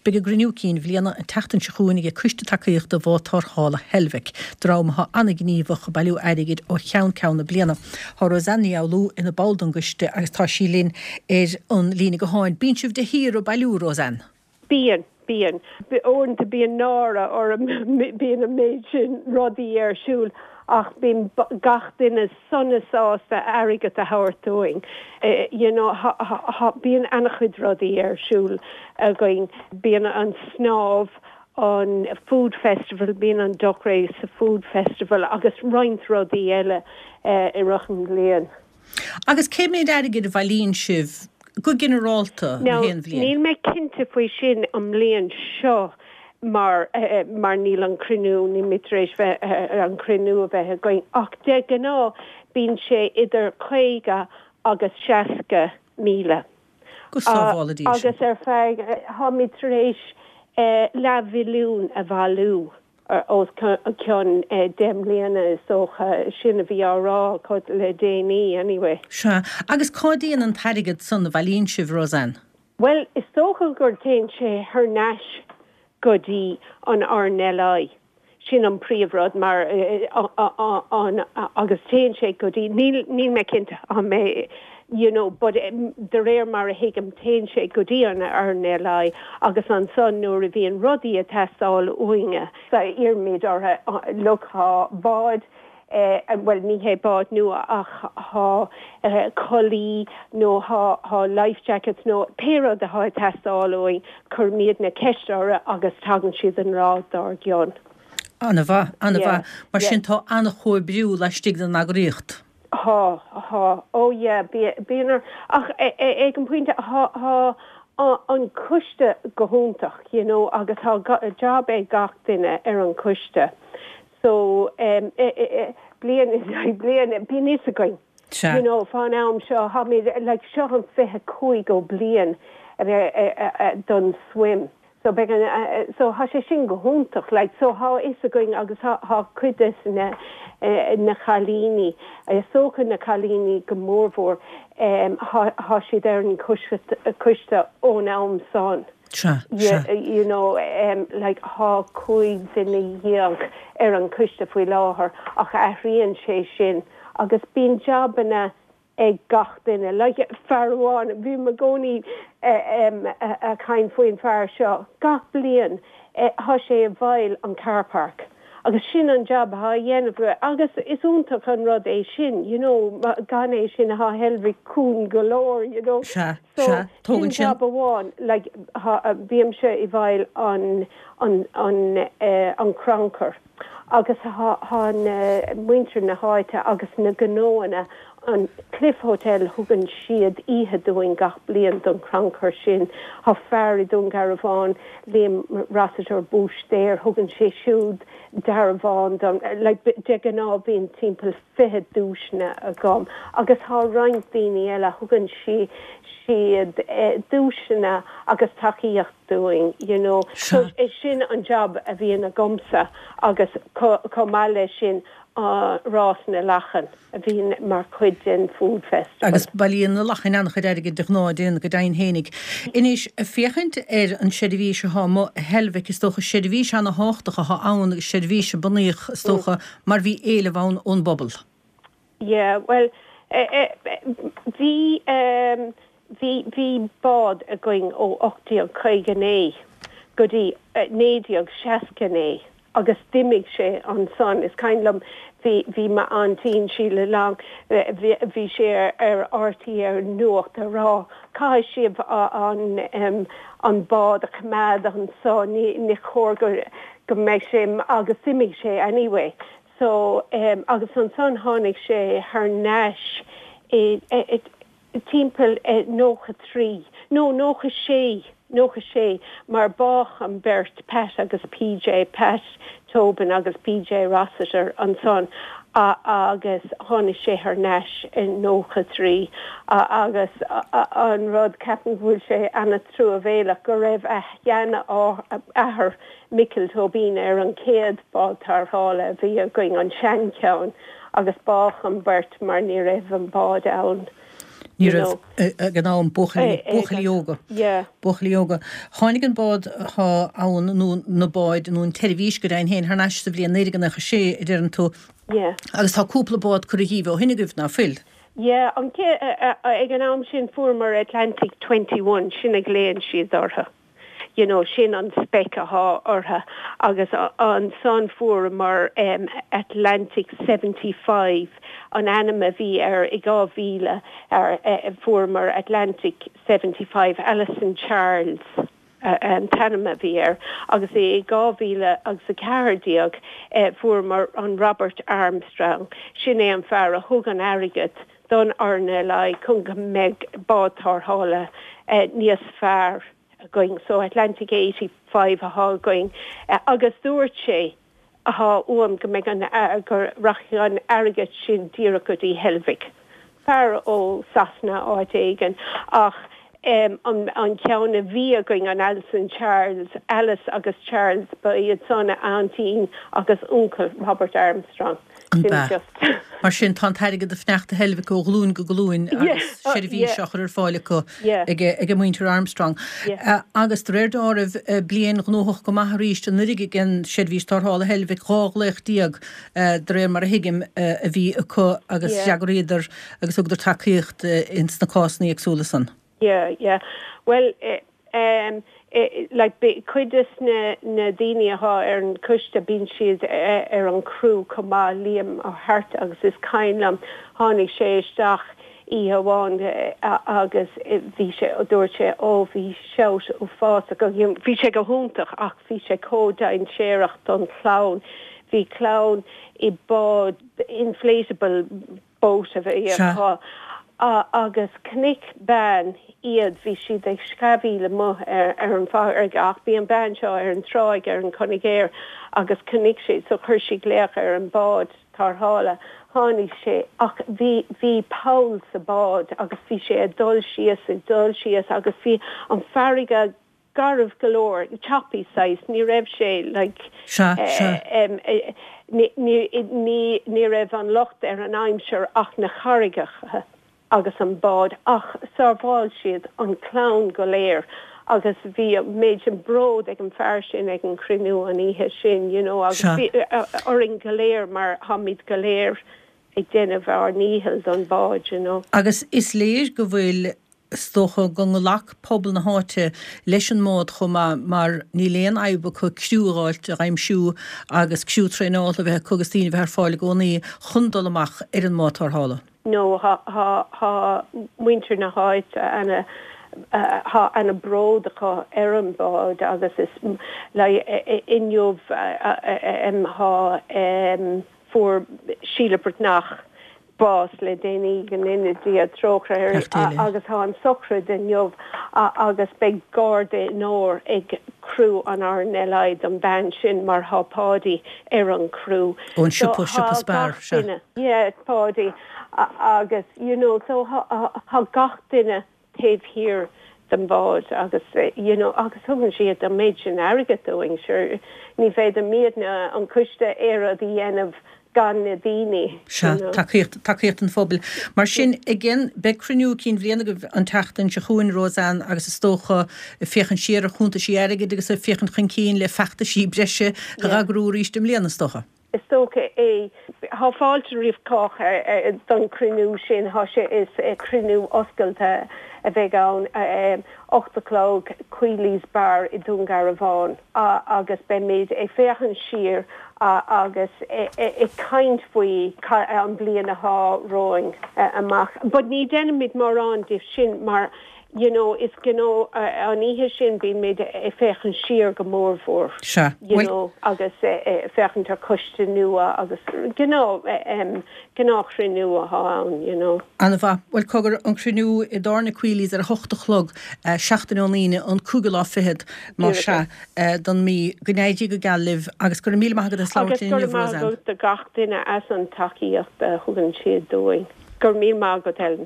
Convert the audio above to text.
Beidh a gcruinniú cinn bhliana an tseachtain seo chugainn ag Coiste Tacaíochta Bhád Tarrthála Heilbhic, dream atá an-ghníomhach ag bailiú airgid ó cheann ceann na bliana. Tá Roseanne Ní Fhoghlú ina ball den gcoiste agus tá sí linn ar an líne gutháin. Bíonn sibh de shíor ag bailiú, Roseanne? Bíonn, bíonn. Uaireanta bíonn náire orm, bíonn an méid sin rudaí ar siúl ach bíonn gach duine sona sásta airgead a thabhairt dúinn. You know, bíonn an-chuid rudaí ar siúl againn. Bíonn an snámh, an food festival, bíonn an duck race sa food festival agus roinnt rudaí eile i rith an bhliain. Agus cé méid airgid a bhailíonn sibh go ginearálta na haon bhliain? Now, níl mé cinnte faoi sin an mbliain seo mar mar níl an cruinniú, níl mé tar éis bheith, an cruinniú a bheith againn ach de ghnáth bíonn sé idir 50 agus 60,000. Go sábhála Dia sinn. Agus ar feadh, táimid tar éis leathmhilliún a bhailiú os cionn 10 mbliana is dócha, sin a bhí á rá acu le déanaí anyway. Sea. Agus cá dtéann an t-airgead san a bhailíonn sibh, Roseanne? Bhuel, is dócha gur téann sé thar n-ais go dtí an RNLI. Sin an príomhrud mar an agus téann sé go dtí, níl níl mé cinnte an mé you know but de réir mar a thuigim téann sé go dtí an RNLI agus ansan nuair a bhíonn rudaí ag teastáil uainne, iarraimid orthu look tá bád bhuel ní hé bád nua ach tá culaith nó tá life jackets nó pé rud atá ag teastáil uainn, cuirimidne ceist orthu agus tagann siad an lá dár gcionn. An-mhaith, an-mhaith. Mar sin tá an-chomhoibriú laistigh den eagraíocht. Tá, tá. Oh yeah, bíonn, ach ag an bpointe, tá an coiste go hiontach, you know, agus tá job ag gach duine ar an choiste. So, bliain i ndiaidh bliana, bíonn fhios againn, you know, fán am seo, táimid, like, seo an 25ú bliain don swim. So beidh an, so tá sé sin go hiontach, like, so tá fhios againn agus tá cuid des na, na cailíní, is dócha na cailíní go mórmhór, tá siad ar an choiste ón am san. Sea, sea. You know, like, tá 15 duine ar an choiste faoi láthair ach athraíonn sé sin agus bíonn jabanna ag gach duine. Like, fear amháin, bím i gcónaí ag caint faoin fear seo, gach bliain tá sé i bhfeighil an car park agus sin an jab atá á dhéanamh agus is iontach an rud é sin, you know, gan é sin tá Heilbhic cúng go leor, you know. Sea. So, Sea, tógann sin jab amháin, like, bímse i bhfeighil an, an, an, an crannchur agus tá na, muintir na háite agus na gnóanna, an Cliff Hotel, thugann siad oíche dúinn gach bliain don chrannchur sin. Tá fear i Dún Garbhán, Liam Rossiter, búistéir, thugann sé siúd dearbhán dom, like, de ghnáth bíonn timpeall 20 duaiseanna agam agus tá roinnt daoine eile, thugann siad duaiseanna agus tacaíocht dúinn you know. So sin an job a bhíonn agamsa agus chomh maith leis sin rás na lachan a bhíonn mar chuid den Food Festival. Agus bailíonn na lachain an-chuid airgid de ghnáth, déan go deimhin fhéinig. Anois, féachaint ar an seirbhís atá amuigh i Heilbhic, is dócha seirbhís ana-thábhachtach atá ann agus seirbhís a bunaíodh, is dócha, mar bhí éileamh ann ón bpobal. Yeah, bhuel, bhí, bhí, bhí bád againn ó 1859 go dtí 1969 agus d'imigh sé ansan. Is cuimhin liom, bhí, bhí m'aintín, Sheila Long, bhí, bhí sí ar RTÉ ar an nuacht ag rá, caithfidh sibh an, an bád a choimeád anso, ní, ní chóir go, go mbeidh sé agus d'imigh sé anyway so agus ansan tháinig sé thar n-ais i timpeall 93 nó 96, 96 mar bádh an beirt Pat agus PJ, Pat Tobin agus PJ Rossiter ansan agus tháinig sé thar n-ais i 93 agus an rud ceapaim go bhfuil sé ana-truamhéalach go raibh a sheanathair Micil Tóibín ar an chéad bád tarrthála a bhí againn, an seancheann, agus bádh an bheirt mar ní raibh an bád ann. Ní raibh ag an am, buachaillí, buachaillí óga. Yeah. Buachaillí óga. Tháinig an bád atá ann, nó na báid, nó an tseirbhís go deimhin féin, thar n-ais sa bhliain 1996, a deireann tú. Yeah. Agus tá cúpla bád curtha dhíbh ó shin agaibh, ná fuil? Yeah, an cé, ag an am sin fuaireamar Atlantic 21, sin a ghlaonn siad orthu. You know, sin an spec athá orthu agus ansan fuaireamar Atlantic 75 an ainm a bhí air i 2000 fuaireamar Atlantic 75 Alison Charles an t-ainm a bhí air agus i 2014 fuaireamar an Robert Armstrong, sin é an fear a thug an airgead don RNLI chun go mbeidh bád tarrthála níos fearr againn. So Atlantic 85 athá againn agus dúirt sé athá uaim go mbeidh an, go rachaidh an airgead sin díreach go dtí Heilbhic. Fear ó Sasana áit éigin ach an an ceann a bhí againn, an Alison Charles, Alice agus Charles, ba iad san aintín agus uncail Robert Armstrong. An b'ea? Mar sin, tá an t-airgead ag fanacht i Heilbhic ó ghlúin go glúin agus seirbhís á chur ar fáil acu ag muintir Armstrong. Agus de réir dealraimh, bliain ghnóthach go maith arís anuraidh ag an seirbhís tarrthála Heilbhic, 12 ghlaoch de réir mar a thuigim a bhí acu agus d'fhreagraíodar agus thugadar tacaíocht ins na cásanna éagsúla san. Yeah, yeah. Bhuel, eh, like, cuid des na, na daoine athá ar an choiste, bíonn siad ar an chriú chomh maith, Liam Ó hAirt agus is cuimhin liom, tháinig sé isteach oíche amháin agus bhí sé, dúirt sé, ó bhí shout uafásach, bhí sé go hiontach ach bhí sé chomh dainséarach don chlann. Bhí clann i bád inflatable, boat a bhí acu agus chonaic bean iad, bhí siad ag sceamhaíl amuigh ar an bhfarraige ach bhí an bhean seo ar an tráigh ar an Conigéar agus chonaic sí so chuir sí glaoch ar an bád tarrthála. Tháinig sé ach bhí bhí poll sa bád agus bhí sé ag dul síos ag dul síos agus bhí an farraige garbh go leor, choppy saghas, ní raibh sé like Sea, sea. em ní ní ní ní raibh an locht ar an aimsir ach na carraigeacha agus an bád ach sábháil siad an clann go léir agus bhí an méid sin bród ag an fear sin ag an chruinniú an oíche sin you know agus Sea. bhí orainn go léir mar tháimid go léir ag déanamh ár ndícheall don bád you know. Agus is léir go bhfuil Is dócha go nglac pobal na háite leis an mbád chomh maith mar níl aon fhadhb acu criú a dh'fháilt, a dh'aimsiú agus criú traenáilte a bheith acu agus daoine a bheith ar fáil i gcónaí chun dul amach ar an mbád tarrthála. No, thá, thá, thá muintir na háite ana, thá ana bród acu ar an bád agus is, like, inniu, em, thá, em, fuair Síle Breatnach bás le déanaí, go ndéana Dia trócaire uirthi, agus tá an sochraid inniu agus beidh garda onóir ag criú an RNLI don bhean sin mar thá Páidí ar an chriú. Ón siopa, siopa Spar, sea. Yeah, Páidí agus you know so thá gach duine taobh thiar den bhád agus you know agus tugann siad an méid sin airgead dúinn, sure ní bhféadfaimidne an coiste aon rud a dhéanamh gan na daoine, Sea, you know. tacaíocht, tacaíocht an phobail. Mar sin, again, beidh cruinniú cinn bhliana agaibh an tseachtain seo chugainn, Roseanne, agus is dócha ag féachaint siar ar chuntaisí airgid agus ag féachaint chun cinn le feachtaisí breise a Yeah. dh'eagrú arís i mbliana, is dócha. Is dócha é. Thá fáilte roimh chách don chruinniú sin. Thá sé, is cruinniú oscailte a bheidh ann, 8 a chlog, Quealy's Bar i Dún Garbhán, agus beimid ag féachaint siar agus ag caint faoi an bliain athá romhainn amach. But ní déanaimid mórán de sin mar you know, is gnó, an oíche sin bímid ag féachaint siar go mórmhór, Sea. you Bhuel. know, agus ag féachaint ar choiste nua agus gnáth, gnáthchruinniú athá ann, you know. An-mhaith. Bhuel, cogar, an cruinniú i dtábhairne Quealy's ar a hocht a chlog, seachtain ón Aoine, an cúigiú lá fichead, más Díreach ea, don mí. Go n-éirí go geal libh agus go raibh míle maith agat as labhairt Agus linn go inniu, raibh maith Roseanne. agat do gach duine as an tacaíocht a thugann siad dúinn. Go raibh míle maith agat, Ellen.